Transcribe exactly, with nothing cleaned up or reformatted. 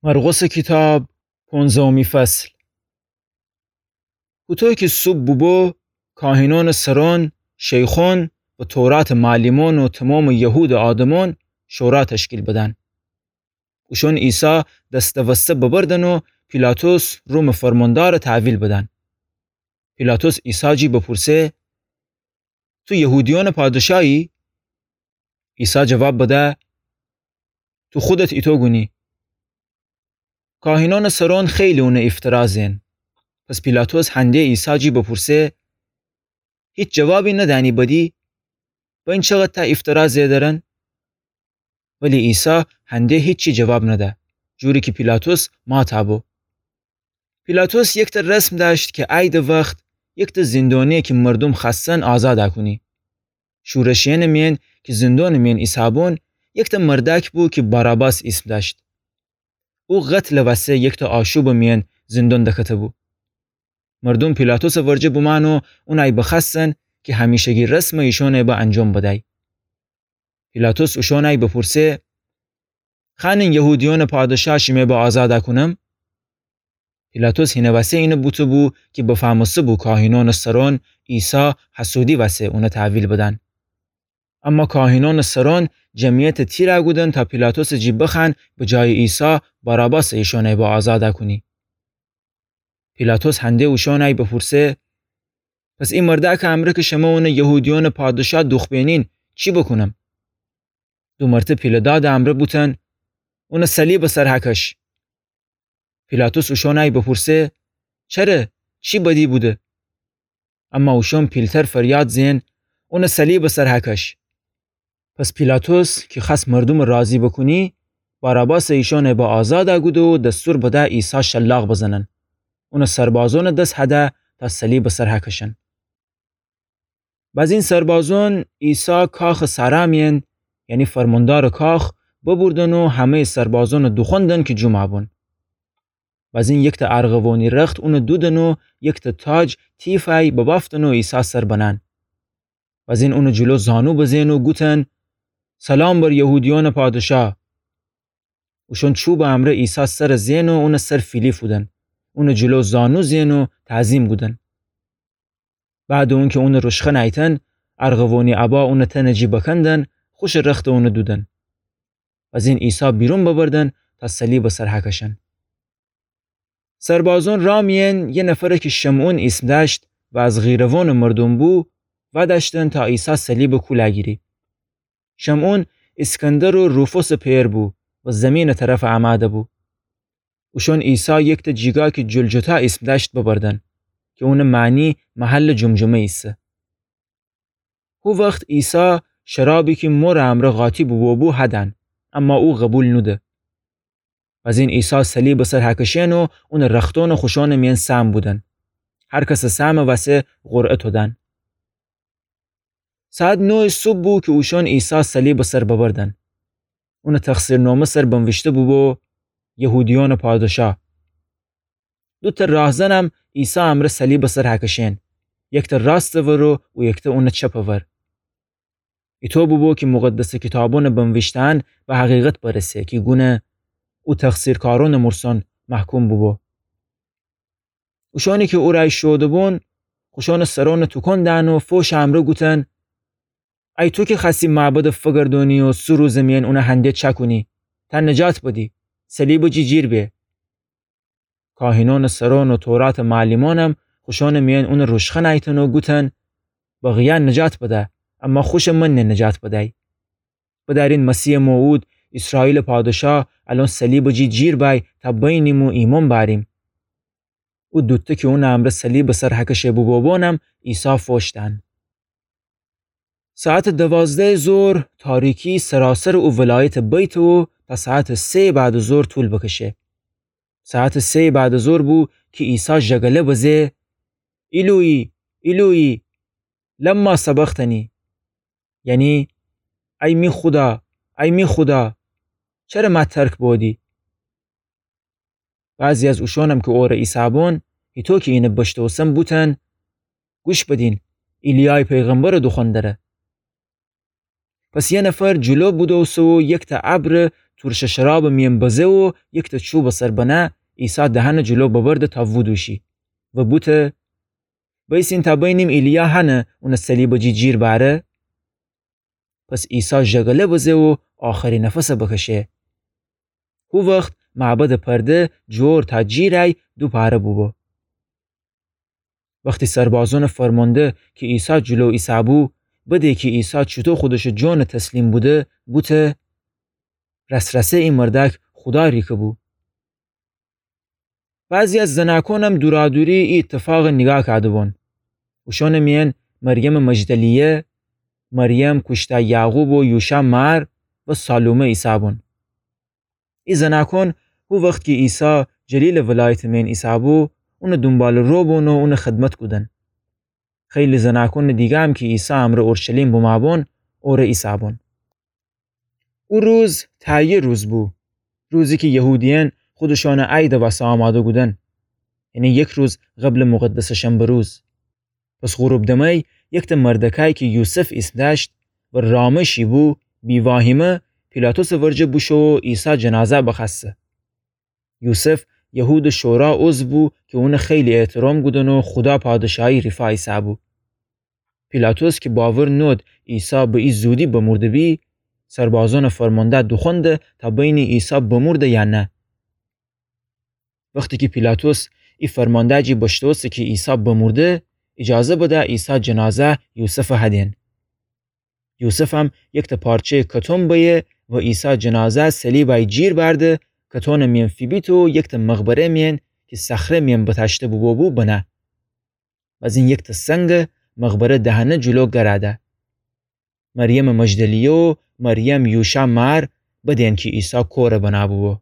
مرقسٚ کیتاب، پونزدهمی فصل. هوطو کی صوبح بوبو، کاهینأنٚ سرأن، شیخأن و توراتٚ معلمأن و تومامٚ یهودٚ آدمأن شورا تشکیل بدن. اوشأن عیسی دسته وسته ببردن و پیلاطس رومٚ فرماندارٚ تحویل بدن. پیلاطس عیسی جی بپورسه: تو یهودیأنٚ پادشاهی؟ عیسی جواب بده: تو خودت ایتو گونی. کاهینأنٚ سرأن خیلی اونٚ ایفترا زئن. پس پیلاطس هنده عیسی جی بپورسه: هیچ جوابی ندأنی بدی؟ بین چقدر ته ایفترا زئ درن؟ ولی عیسی هنده هیچی جواب نده، جوری کی پیلاطس ماتا بو. پیلاطس یکته رسم دأشت کی عیدٚ وخت یکته زندانی کی مردوم خوأستن آزادا کونی. شورشیأنٚ میأن کی زندانٚ میأن ایسهبون، یکته مردأک بو کی باراباس ایسم دأشت. او قتلٚ وسه یکته آشوبٚ میأن زندان دکته بو. مردوم پیلاطسٚ ورجه بومأن و اونأی بخوأستن کی همیشگی رسمٚ ایشأنأی به انجام بدأی. پیلاطس اوشأنأی بپورسه: خوأنین یهودیأنٚ پادشاه شیمه به آزادا کونم؟ پیلاطس هینه وسه اینه بوته بو کی بفهمسته بو کاهینأنٚ سرأن عیسی حسودی وسه اونه تحویل بدن. اما کاهینأنٚ سرأن جمعیت تیرا گودن تا پیلاطسٚ جی بخوأن، به جایٚ عیسی باراباسٚ ایشأنأی به آزادا کونی. پیلاطس هنده اوشأنأی بپورسه: پس ای مردأکٚ امرأ کی شمه اونه یهودیأنٚ پادشاه دوخبینین، چی بوکونم؟ دو مرته پیله‌دادٚ امرأ بوتن: اونه صلیبٚ سر هکش. پیلاطس اوشأنأی بپورسه: چره؟ چی بدی بوده؟ اما اوشأن پیلتر فریاد زئن: اونه صلیبٚ سر هکش. پس پیلاطس کی خوأست مردومٚ راضی بوکونی، باراباسٚ ایشأنأی به آزادا گوده و دستور بده عیسی شلاق بزنن. اونٚ سربازأنٚ دس هده تا صلیبٚ سر هکشن. بأزین سربازأن عیسی کاخٚ سرا میأن، یعنی فرماندارٚ کاخ، ببردن و همه‌یٚ سربازأنٚ دوخوأندن کی جومأ بون. بأزین یکته ارغوانی رخت اونٚ دودن و یکته تاج تیفأی ببأفتن و عیسی سر بنأن. بأزین اونٚ جلو زانو بزئن و گوتن: سلام بر یهودیأنٚ پادشاه. اوشأن چوبٚ امرأ عیسی سر زئن و اونٚ سر فیلی فودن. اونٚ جلو زانو زئن و تعظیم گودن. بعدٚ اونکی اونٚ روشخن ایتن، ارغوانی ابا اونٚ تنٚ جی بکندن، خوشٚ رختٚ اونٚ دودن. بأزین عیسی بیرون ببردن تا صلیبٚ سر هکشن. سربازأن رأ میأن یه نفر کی شمعون ایسم دأشت و از قیروانٚ مردوم بو، ودأشتن تا عیسی صلیبٚ کول گیری. شمعون اسکندر و روفوسٚ پئر بو و زیمینٚ طرف امأده بو. اوشأن عیسی یکته جیگا کی جلجتا ایسم دأشت ببردن، کی اونٚ معنی محلٚ جمجمه ایسه. هو وخت عیسی شرابی کی مورٚ امرأ قاطی بوبو هدأن، اما او قوبیل نوده. بأزین عیسی صلیبٚ سر هکشئن و اونٚ رختأن خوشأنٚ میأن سهم بودن. هر کسٚ سهمٚ وسه قرعه تودن. ساعت نویٚ صبح بو کی اوشأن عیسی صلیبٚ سر ببردن. اونٚ تقصیرنامه سر بنویشته بوبو: یهودیأنٚ پادشاه. دوتأ راهزنم عیسی امرأ صلیبٚ سر هکشئن، یکتأ راستٚ ور و او یکتأ اونٚ چپٚ ور. ایطو بوبو کی مقدسٚ کیتابأنٚ بنویشته‌یأن به حقیقت برسه کی گونه او تقصیرکارأنٚ مرسأن محکوم بوبو. اوشأنی کی او رأی شوده‌بون، خوشأنٚ سرأنٚ توکون دأن و فوشٚ امرأ گوتن: ای تو کی خوأستی معبدٚ فگردونی و سه روزٚ میأن اونٚ هنده چأکونی، تا نجات بدی، صلیبٚ جی جیر به. کاهینأنٚ سرأن و توراتٚ معلمأنم خوشأنٚ میأن اونٚ روشخن ایتن و گوتن: بقیه نجات بده، اما خوشٚ من نجات بده‌یی. بدأرین مسیحٚ موعود، ایسرائیلٚ پادشاه، الأن صلیبٚ جی جیر بأی تا بینیم و ایمأن بأریم. او دوتأ کی اونٚ امرأ صلیبٚ سر هکشه بوبوبونم عیسی فوش دأن. ساعتٚ دوازدهٚ ظهر تاریکی سراسرٚ او ولایت بیته و تا ساعتٚ سه‌یٚ بعدٚ ظهر طول بکشه. ساعتٚ سه‌یٚ بعدٚ ظهر بو کی عیسی ژگله بزه: ایلویی، ایلویی، لما سبقتنی؟ یعنی: ای می خودا، ای می خودا، چره مأ ترک بودی؟ بعضی از اوشأنم کی اوره ایسه‌بون، هیطو کی اینه بشنوستن، بوتن: گوش بدین، ایلیای پیغمبرٚ دوخوأن دره. پس یه نفر جلو بودوسته و یکتأ ابرٚ پورشٚ شرابٚ میأن بزه و یکتأ چوبٚ سر بنه، عیسی دهنٚ جلو ببرده تا وودوشی و بوته: بأیسین تا بینیم ایلیا هنه اونٚ صلیبٚ جی جیر بأره. پس عیسی ژگله بزه و آخری نفس بکشه. هو وخت معبدٚ پرده جور تا جیر ای دو پاره بوبو. وختی سربازونٚ فرمانده کی عیسی جلو ایسه‌بو، بده کی عیسی چوطو خودشٚ جون تسلیم بوده، بوته: راس‌راسه ای مردأک خودا ریکه‌بو. بعضی از زنأکونم دورادوری ای ایتفاق نیگاه کوده‌بون. اوشونٚ میأن مریمٚ مجدلیه، مریم کوشتأ یعقوب و یوشأ مأر و سالومه ایسه‌بون. ای زنأکون هو وخت کی عیسی جلیلٚ ولایتٚ میأن ایسه‌بو، اونٚ دونبالٚرو بون و اونٚ خدمت کودن. خیلی زنأکونٚ دیگه‌م کی عیسی امرأ اورشلیم بمه‌بون، اوره ایسه‌بون. او روز تهیه روز بو، روزی کی یهودیأن خودشونٚ عیدٚ وسه آماده کودن، یعنی یک روز قبلٚ مقدسٚ شنبه روز. پس غروب دمه یکتأ مردکای کی یوسف ایسم دأشت و رامشی بو، بی‌واهمه پیلاطسٚ ورجه بوشو و عیسی جنازه بخوأسته. یوسف یهودٚ شورا عضو بو کی اون خیلی احترام کودن و خودا پادشاهی ریفا ایسه‌بو. پیلاطس کی باور نود عیسی به ای زودی بمورده‌بی، سربازونٚ فرمانده دوخوأنده تا بینی عیسی بمورده یا نه. وختی کی پیلاطس ای فرمانده جی بشتوسته کی عیسی بمورده، ایجازه بده عیسی جنازه یوسفٚ هدین. یوسفم یکتأ پارچه‌یٚ کتون بأیه و عیسی جنازه صلیبای جیر بأرده، کتونٚ میأن فیبیته و یکتأ مقبره میأن کی صخره میأن بتأشته بوبوبو بنه. بزین یکتأ سنگ مقبره دهنه جلو گراده. مریمٚ مجدلیه و مریم یوشأ مأر بدین کی عیسی کوره بنه‌بوبو.